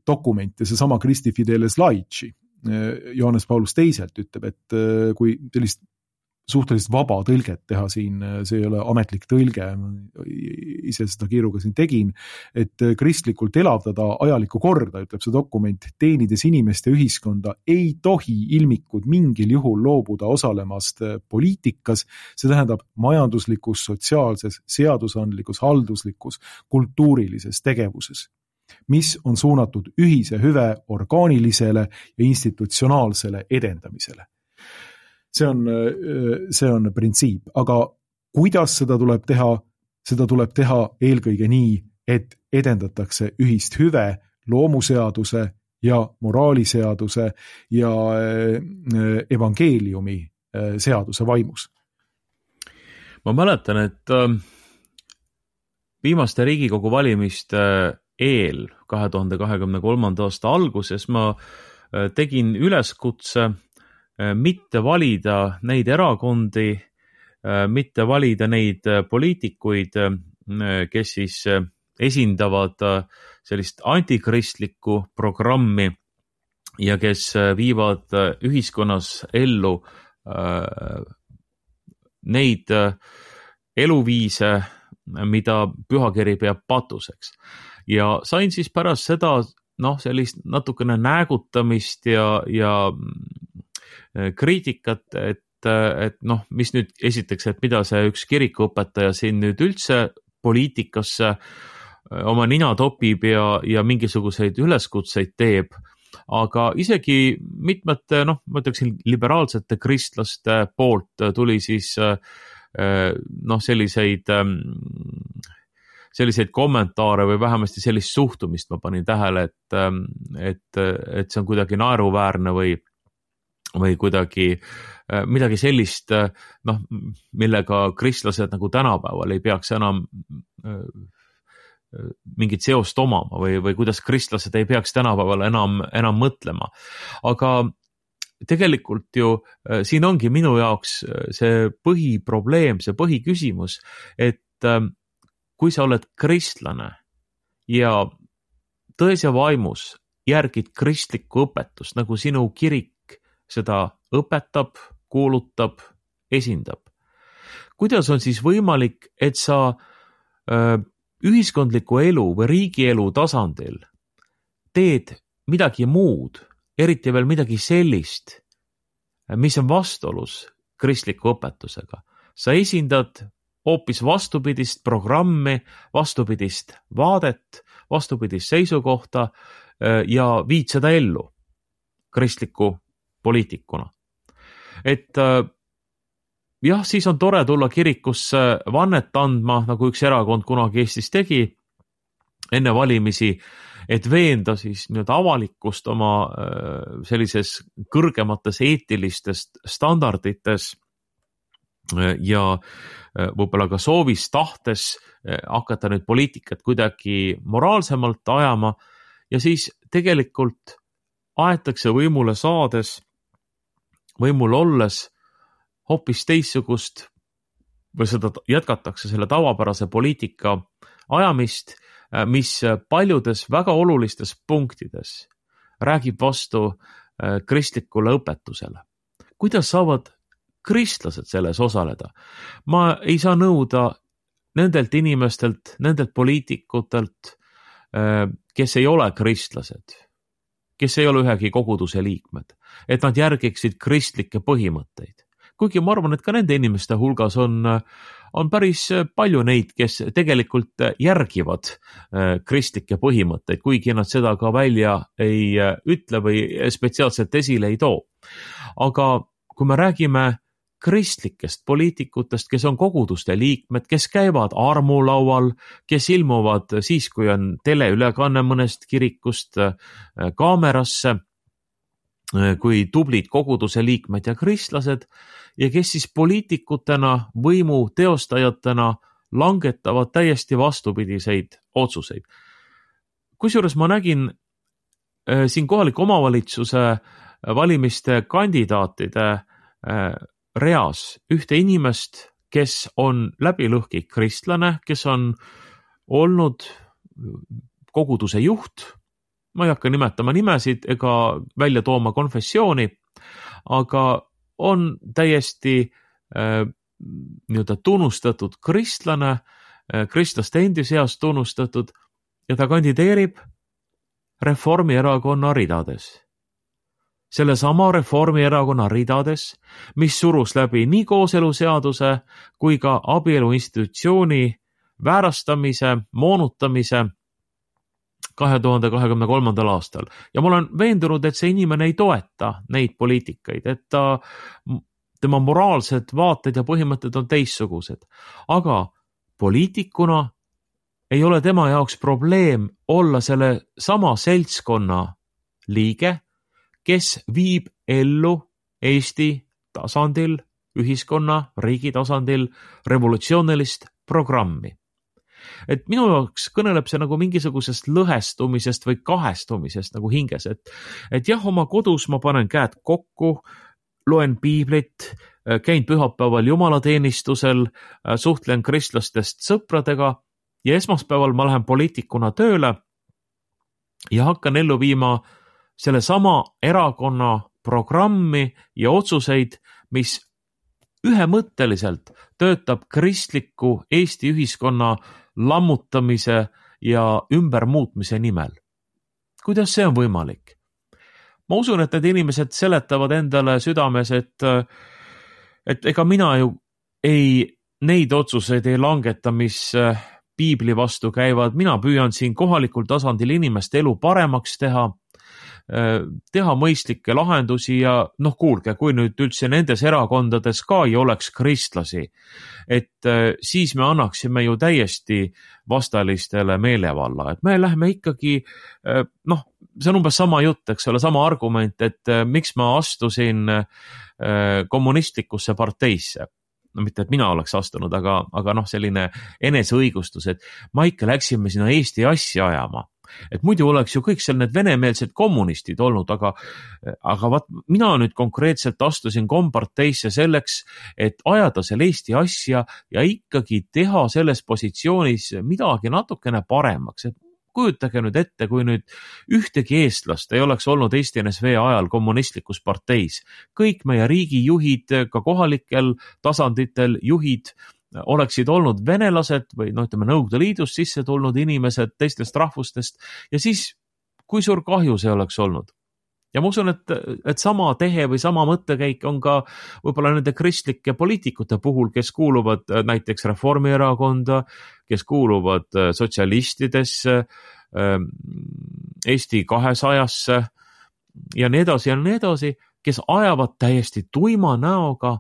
dokumente, seesama Christi Fideles Laici, Johannes Paulus II ütleb, et kui sellist suhteliselt vaba tõlget teha siin, see ei ole ametlik tõlge, ise seda kiiruga siin tegin, et kristlikult elavdada ajalikku korda, ütleb see dokument, teenides inimeste ühiskonda, ei tohi ilmikud mingil juhul loobuda osalemast poliitikas, see tähendab majanduslikus, sotsiaalses, seadusandlikus, halduslikus, kultuurilises tegevuses, mis on suunatud ühise hüve orgaanilisele ja institutsionaalsele edendamisele. See on printsiip, aga kuidas seda tuleb teha? Seda tuleb teha eelkõige nii, et edendatakse ühist hüve loomuseaduse ja moraaliseaduse ja evangeeliumi seaduse vaimus. Ma mäletan, et viimaste Riigikogu valimiste eel 2023. aasta alguses ma tegin üleskutse mitte valida neid erakondi, mitte valida neid poliitikuid, kes siis esindavad sellist antikristlikku programmi ja kes viivad ühiskonnas ellu neid eluviise, mida pühakiri peab patuseks. Ja sain siis pärast seda sellist natukene näägutamist ja kriitikat, et mis nüüd esiteks, et mida see üks kirikuõpetaja siin nüüd üldse poliitikasse oma nina topib ja mingisuguseid üleskutseid teeb, aga isegi mitmete, ma ütleksin, liberaalsete kristlaste poolt tuli siis selliseid kommentaare või vähemasti sellist suhtumist ma panin tähele, et see on kuidagi naeruväärne või kuidagi midagi sellist, noh, millega kristlased nagu tänapäeval ei peaks enam mingit seost omama või kuidas kristlased ei peaks tänapäeval enam mõtlema. Aga tegelikult ju siin ongi minu jaoks see põhiprobleem, see põhiküsimus, et kui sa oled kristlane ja tões ja vaimus järgid kristlikku õpetust, nagu sinu kirik seda õpetab, kuulutab, esindab. Kuidas on siis võimalik, et sa ühiskondliku elu või riigielu tasandil teed midagi muud, eriti veel midagi sellist, mis on vastuolus kristliku õpetusega? Sa esindad hoopis vastupidist programmi, vastupidist vaadet, vastupidist seisukohta ja viid seda ellu kristliku poliitikuna. Et jah, siis on tore tulla kirikusse vannet andma, nagu üks erakond kunagi Eestis tegi enne valimisi, et veenda siis avalikkust oma sellises kõrgemates eetilistest standardites ja võib-olla ka soovis tahtes hakata nüüd poliitikat kuidagi moraalsemalt ajama ja siis tegelikult aetakse võimule saades, võimul olles hoopis teissugust või seda jätkatakse selle tavapärase poliitika ajamist, mis paljudes väga olulistes punktides räägib vastu kristlikule õpetusele. Kuidas saavad kristlased selles osaleda? Ma ei saa nõuda nendelt inimestelt, nendelt poliitikutelt, kes ei ole kristlased, kes ei ole ühegi koguduse liikmed, et nad järgiksid kristlikke põhimõtteid. Kuigi ma arvan, et ka nende inimeste hulgas on päris palju neid, kes tegelikult järgivad kristlikke põhimõtteid, kuigi nad seda ka välja ei ütle või spetsiaalselt esile ei too. Aga kui me räägime kristlikest poliitikutest, kes on koguduste liikmed, kes käivad armulaual, kes ilmuvad siis, kui on teleülekanne mõnest kirikust kaamerasse, kui tublid koguduse liikmed ja kristlased ja kes siis poliitikutena, võimu teostajatena langetavad täiesti vastupidiseid otsuseid. Kusjuures ma nägin siin kohaliku omavalitsuse valimiste kandidaatide reas ühte inimest, kes on läbilõhki kristlane, kes on olnud koguduse juht. Ma ei hakka nimetama nimesid ega välja tooma konfessiooni, aga on täiesti tunnustatud kristlane, kristlaste endi seas tunnustatud ja ta kandideerib Reformierakonna ridades. Sellesama Reformierakonna ridades, mis surus läbi nii kooseluseaduse kui ka abielu institutsiooni väärastamise, moonutamise 2023. aastal. Ja ma olen veendunud, et see inimene ei toeta neid poliitikaid, et tema moraalsed vaated ja põhimõtted on teissugused. Aga poliitikuna ei ole tema jaoks probleem olla selle sama seltskonna liige, kes viib ellu Eesti tasandil, ühiskonna, riigi tasandil revolutsioonilist programmi. Et minu jaoks kõneleb see nagu mingisugusest lõhestumisest või kahestumisest nagu hinges, et jah, oma kodus ma panen käed kokku, loen piiblit, käin pühapäeval jumalateenistusel, suhtlen kristlastest sõpradega ja esmaspäeval ma lähen poliitikuna tööle ja hakkan ellu viima selle sama erakonna programmi ja otsuseid, mis ühemõtteliselt töötab kristliku Eesti ühiskonna lammutamise ja ümbermuutmise nimel. Kuidas see on võimalik? Ma usun, et need inimesed seletavad endale südames, et ega mina ju neid otsuseid ei langeta, mis piibli vastu käivad. Mina püüan siin kohalikul tasandil inimeste elu paremaks teha. teha mõistlikke lahendusi ja noh, kuulge, kui nüüd üldse nendes erakondades ka ei oleks kristlasi, et siis me annaksime ju täiesti vastalistele meelevalla, et me lähme ikkagi, noh, see on umbes sama jutt, eks ole, sama argument, et miks ma astusin kommunistlikusse parteisse. No mitte, et mina oleks astunud, aga noh, selline eneseõigustus, et ma ikka läksime sinna Eesti asja ajama. Et muidu oleks ju kõik seal need venemeelsed kommunistid olnud, aga vaat mina nüüd konkreetselt astusin komparteisse selleks, et ajada seal Eesti asja ja ikkagi teha selles positsioonis midagi natukene paremaks. Et kujutage nüüd ette, kui nüüd ühtegi eestlast ei oleks olnud Eesti NSV ajal kommunistlikus parteis. Kõik meie riigijuhid, ka kohalikel tasanditel juhid oleksid olnud venelased või no ütleme Nõukogude Liidust sisse tulnud inimesed teistest rahvustest ja siis kui suur kahju see oleks olnud. Ja ma usun, et sama tehe või sama mõttekäik on ka võib-olla nende kristlike poliitikute puhul, kes kuuluvad näiteks Reformierakonda, kes kuuluvad sotsialistidesse, Eesti 200-sse ja nii edasi, kes ajavad täiesti tuima näoga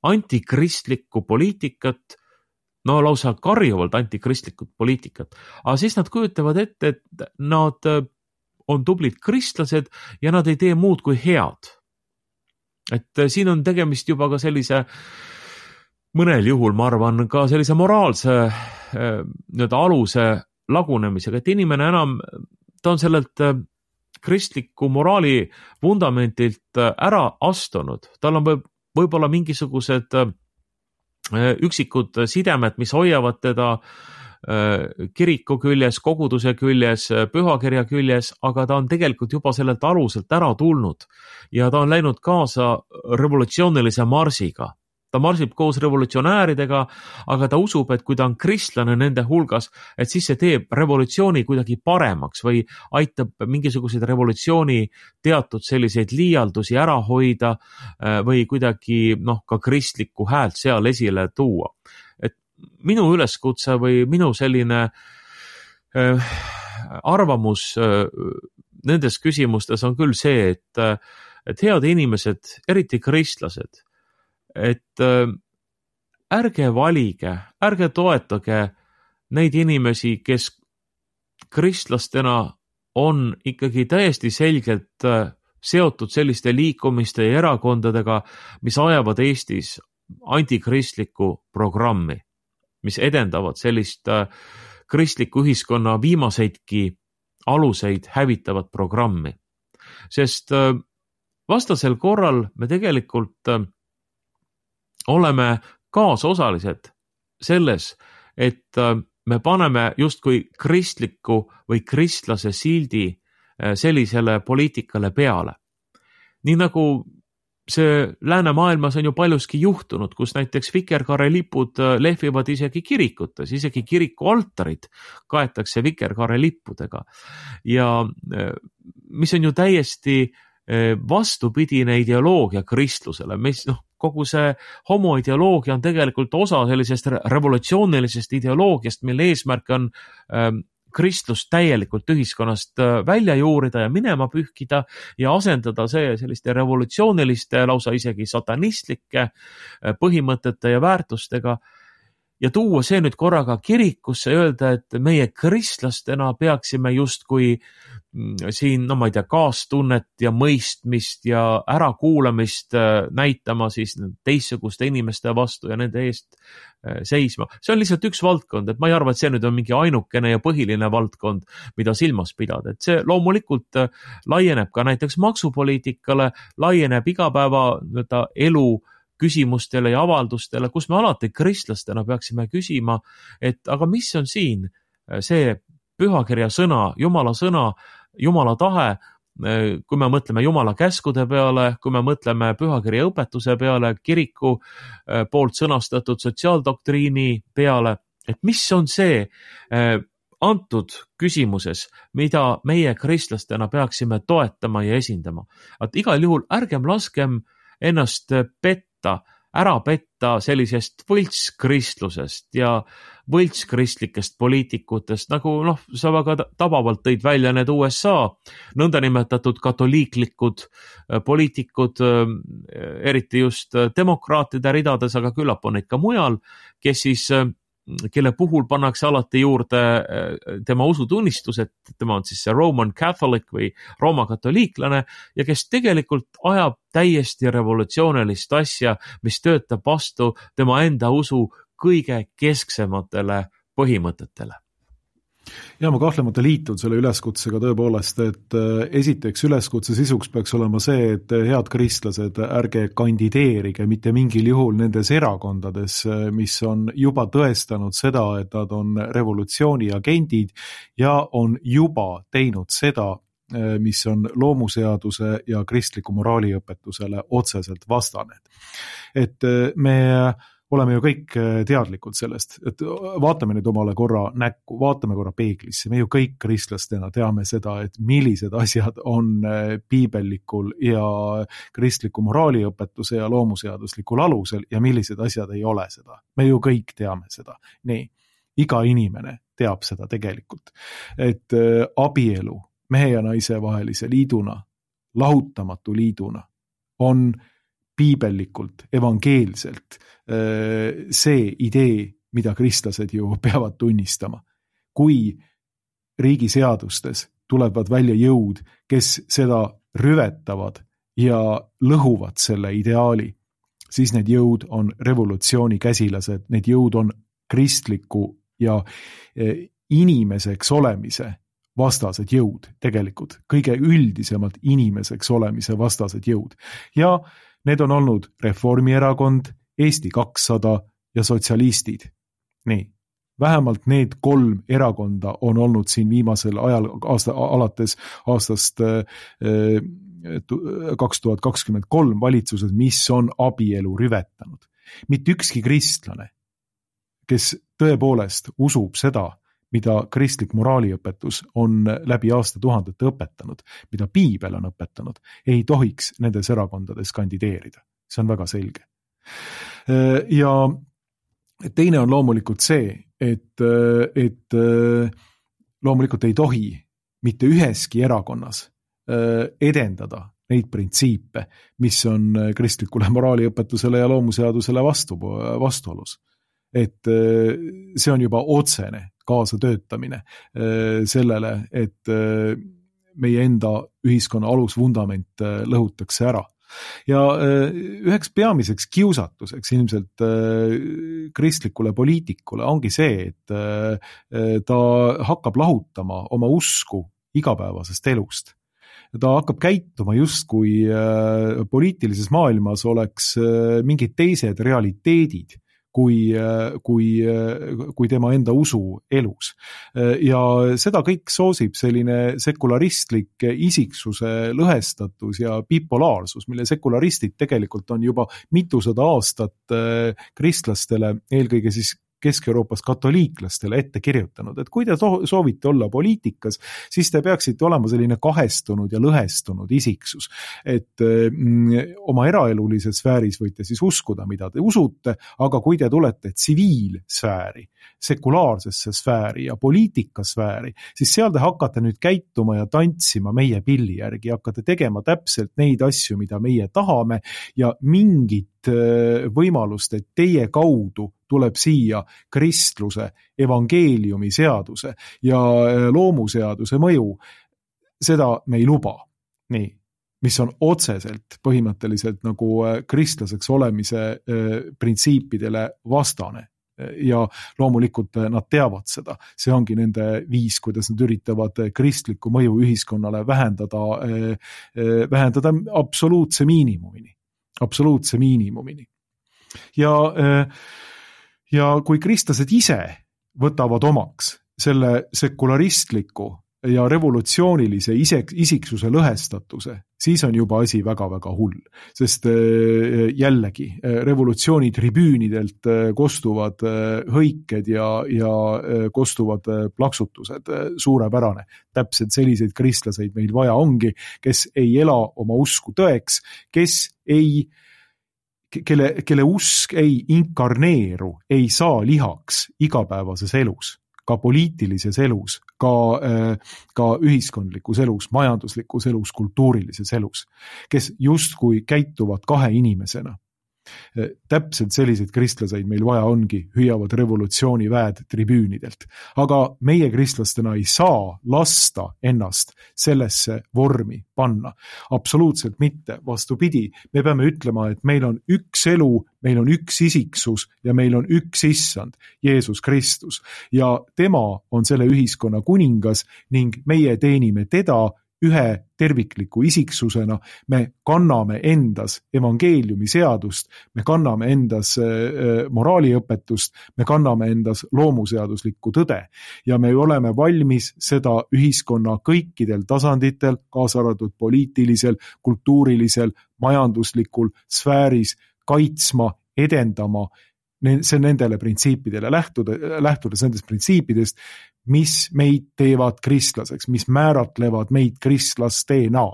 antikristlikku poliitikat, no lausa karjuvalt antikristlikut poliitikat, aga siis nad kujutavad ette, et nad on tublid kristlased ja nad ei tee muud kui head. Et siin on tegemist juba ka sellise, mõnel juhul ma arvan, ka sellise moraalse aluse lagunemisega, et inimene enam, ta on sellelt kristliku moraali vundamentilt ära astunud. Tal on võib-olla mingisugused üksikud sidemed, mis hoiavad teda kiriku küljes, koguduse küljes, pühakirja küljes, aga ta on tegelikult juba sellelt aluselt ära tulnud ja ta on läinud kaasa revolutsioonilise marsiga. Ta marsib koos revolutsionääridega, aga ta usub, et kui ta on kristlane nende hulgas, et siis see teeb revolutsiooni kuidagi paremaks või aitab mingisugused revolutsiooni teatud selliseid liialdusi ära hoida või kuidagi ka kristlikku häält seal esile tuua. Et minu üleskutse või minu selline arvamus nendes küsimustes on küll see, et head inimesed, eriti kristlased, et ärge valige, ärge toetage neid inimesi, kes kristlastena on ikkagi täiesti selgelt seotud selliste liikumiste ja erakondadega, mis ajavad Eestis antikristlikku programmi, mis edendavad sellist kristliku ühiskonna viimaseidki aluseid hävitavat programmi. Sest vastasel korral me tegelikult oleme kaasosalised selles, et me paneme justkui kristliku või kristlase sildi sellisele poliitikale peale. Nii nagu see läänemaailmas on ju paljuski juhtunud, kus näiteks vikerkaarelipud lehvivad isegi kirikutes, isegi kiriku altarid kaetakse vikerkaarelippudega. Ja mis on ju täiesti vastupidine ideoloogia kristlusele, mis kogu see homoideoloogia on tegelikult osa sellisest revolutsioonilisest ideoloogiast, mille eesmärk on kristlust täielikult ühiskonnast välja juurida ja minema pühkida ja asendada see selliste revolutsiooniliste, lausa isegi satanistlike põhimõtete ja väärtustega ja tuua see nüüd korraga kirikusse ja öelda, et meie kristlastena peaksime justkui siin, ma ei tea, kaastunnet ja mõistmist ja ärakuulamist näitama siis teistsuguste inimeste vastu ja nende eest seisma. See on lihtsalt üks valdkond, et ma ei arva, et see nüüd on mingi ainukene ja põhiline valdkond, mida silmas pidada. Et see loomulikult laieneb ka näiteks maksupoliitikale, laieneb igapäeva elu küsimustele ja avaldustele, kus me alati kristlastena peaksime küsima, et aga mis on siin see pühakirja sõna, Jumala tahe, kui me mõtleme Jumala käskude peale, kui me mõtleme pühakirja õpetuse peale, kiriku poolt sõnastatud sotsiaaldoktriini peale, et mis on see antud küsimuses, mida meie kristlastena peaksime toetama ja esindama. Et igal juhul ärgem laskem ennast petta, ära petta sellisest võltskristlusest ja võltskristlikest poliitikutest, nagu sa väga tabavalt tõid välja need USA nõndanimetatud katoliiklikud poliitikud, eriti just demokraatide ridades, aga küllap on neid ka mujal, kelle puhul pannakse alati juurde tema usutunnistus, et tema on siis see Roman Catholic või Rooma katoliiklane ja kes tegelikult ajab täiesti revolutsioonilist asja, mis töötab vastu tema enda usu kõige kesksematele põhimõtetele. Ja ma kahtlemata liitun selle üleskutsega tõepoolest, et esiteks üleskutse sisuks peaks olema see, et head kristlased, ärge kandideerige mitte mingil juhul nendes erakondades, mis on juba tõestanud seda, et nad on revolutsiooni agendid ja on juba teinud seda, mis on loomuseaduse ja kristliku moraaliõpetusele otseselt vastane. Et me oleme ju kõik teadlikud sellest, et vaatame nüüd omale korra näkku, vaatame korra peeglisse, me ju kõik kristlastena teame seda, et millised asjad on piibellikul ja kristliku moraaliõpetuse ja loomuseaduslikul alusel ja millised asjad ei ole seda. Me ju kõik teame seda. Nii, iga inimene teab seda tegelikult, et abielu mehe ja naise vahelise liiduna, lahutamatu liiduna on piibellikult, evangeelselt see idee, mida kristlased ju peavad tunnistama. Kui riigiseadustes tulevad välja jõud, kes seda rüvetavad ja lõhuvad selle ideaali, siis need jõud on revolutsiooni käsilased, need jõud on kristliku ja inimeseks olemise vastased jõud, tegelikult kõige üldisemalt inimeseks olemise vastased jõud. Ja need on olnud Reformierakond, Eesti 200 ja sotsialistid. Nii, vähemalt need 3 erakonda on olnud siin viimasel ajal alates aastast 2023 valitsused, mis on abielu rüvetanud. Mitte ükski kristlane, kes tõepoolest usub seda, mida kristlik moraaliõpetus on läbi aastatuhandete õpetanud, mida piibel on õpetanud, ei tohiks nendes erakondades kandideerida. See on väga selge. Ja teine on loomulikult see, et loomulikult ei tohi mitte üheski erakonnas edendada neid printsiipe, mis on kristlikule moraaliõpetusele ja loomuseadusele vastuolus. Et see on juba otsene kaasatöötamine sellele, et meie enda ühiskonna alusvundament lõhutakse ära. Ja üheks peamiseks kiusatuseks ilmselt kristlikule poliitikule ongi see, et ta hakkab lahutama oma usku igapäevasest elust. Ta hakkab käituma justkui poliitilises maailmas oleks mingid teised realiteedid, kui tema enda usu elus. Ja seda kõik soosib selline sekularistlik isiksuse lõhestatus ja bipolaarsus, mille sekularistid tegelikult on juba mitusada aastat kristlastele, eelkõige siis Kesk-Euroopas katoliiklastele ette kirjutanud, et kui te soovite olla poliitikas, siis te peaksite olema selline kahestunud ja lõhestunud isiksus, et oma eraelulises sfääris võite siis uskuda, mida te usute, aga kui te tulete tsiviilsfääri, sekulaarsesse sfääri ja poliitikasfääri, siis seal te hakkate nüüd käituma ja tantsima meie pilli järgi, hakkate tegema täpselt neid asju, mida meie tahame ja mingit võimalust, et teie kaudu tuleb siia kristluse, evangeeliumi seaduse ja loomuseaduse mõju, seda me ei luba. Nii, mis on otseselt põhimõtteliselt nagu kristlaseks olemise printsiipidele vastane. Ja loomulikult nad teavad seda. See ongi nende viis, kuidas nad üritavad kristlikku mõju ühiskonnale vähendada absoluutse miinimumini. Ja kui kristlased ise võtavad omaks selle sekularistliku ja revolutsioonilise isiksuse lõhestatuse, siis on juba asi väga-väga hull. Sest jällegi revolutsiooni tribüünidelt kostuvad hõiked ja kostuvad plaksutused, suurepärane. Täpselt selliseid kristlaseid meil vaja ongi, kes ei ela oma usku tõeks, kes ei kelle usk ei inkarneeru, ei saa lihaks igapäevases elus, ka poliitilises elus, ka ühiskondlikus elus, majanduslikus elus, kultuurilises elus, kes justkui käituvad kahe inimesena. Täpselt selliseid kristlaseid meil vaja ongi, hüüavad revolutsiooniväed tribüünidelt. Aga meie kristlastena ei saa lasta ennast sellesse vormi panna. Absoluutselt mitte, vastupidi. Me peame ütlema, et meil on üks elu, meil on üks isiksus ja meil on üks issand, Jeesus Kristus. Ja tema on selle ühiskonna kuningas ning meie teenime teda ühe tervikliku isiksusena, me kanname endas evangeeliumi seadust, me kanname endas moraaliõpetust, me kanname endas loomuseaduslikku tõde ja me oleme valmis seda ühiskonna kõikidel tasanditel, kaasa arvatud poliitilisel, kultuurilisel, majanduslikul sfääris kaitsma, edendama, see nendele printsiipidele lähtudes nendest printsiipidest, mis meid teevad kristlaseks, mis määratlevad meid kristlasteena.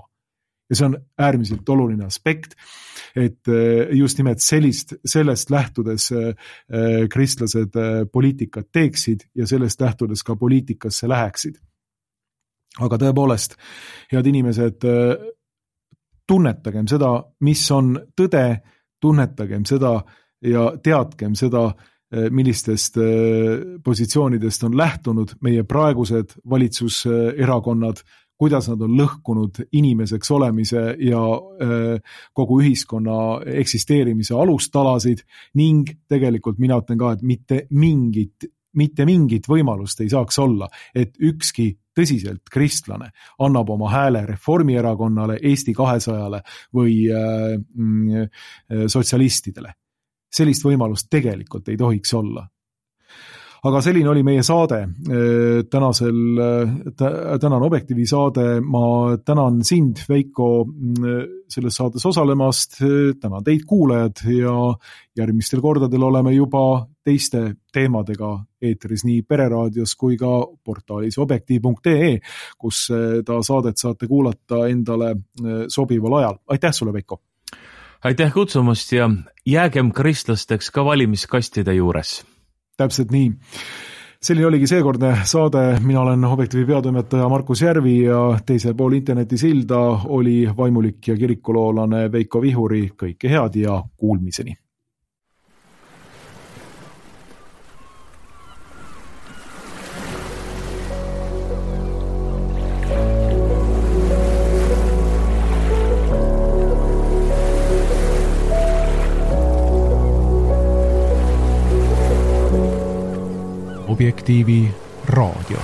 Ja see on äärmiselt oluline aspekt, et just nimelt sellest lähtudes kristlased poliitikat teeksid ja sellest lähtudes ka poliitikasse läheksid. Aga tõepoolest, head inimesed, tunnetagem seda, mis on tõde, tunnetagem seda ja teadkem seda, millistest positsioonidest on lähtunud meie praegused valitsuserakonnad, kuidas nad on lõhkunud inimeseks olemise ja kogu ühiskonna eksisteerimise alustalasid ning tegelikult mina ütlen ka, et mitte mingit võimalust ei saaks olla, et ükski tõsiselt kristlane annab oma hääle Reformierakonnale, Eesti 200-le või sotsialistidele. Sellist võimalust tegelikult ei tohiks olla. Aga selline oli meie saade, tänan Objektiivi saade, ma tänan sind, Veiko, selles saates osalemast, tänan teid kuulajad ja järgmistel kordadel oleme juba teiste teemadega eetris nii Pereraadios kui ka portaalis objektiiv.ee, kus ta saadet saate kuulata endale sobival ajal. Aitäh sulle, Veiko! Aitäh kutsumast ja jäägem kristlasteks ka valimiskastide juures. Täpselt nii. Selline oligi seekordne saade. Mina olen Objektiivi peatoimetaja Markus Järvi ja teisel pool internetisilda oli vaimulik ja kirikuloolane Veiko Vihuri. Kõike head ja kuulmiseni. Objektiivi raadio.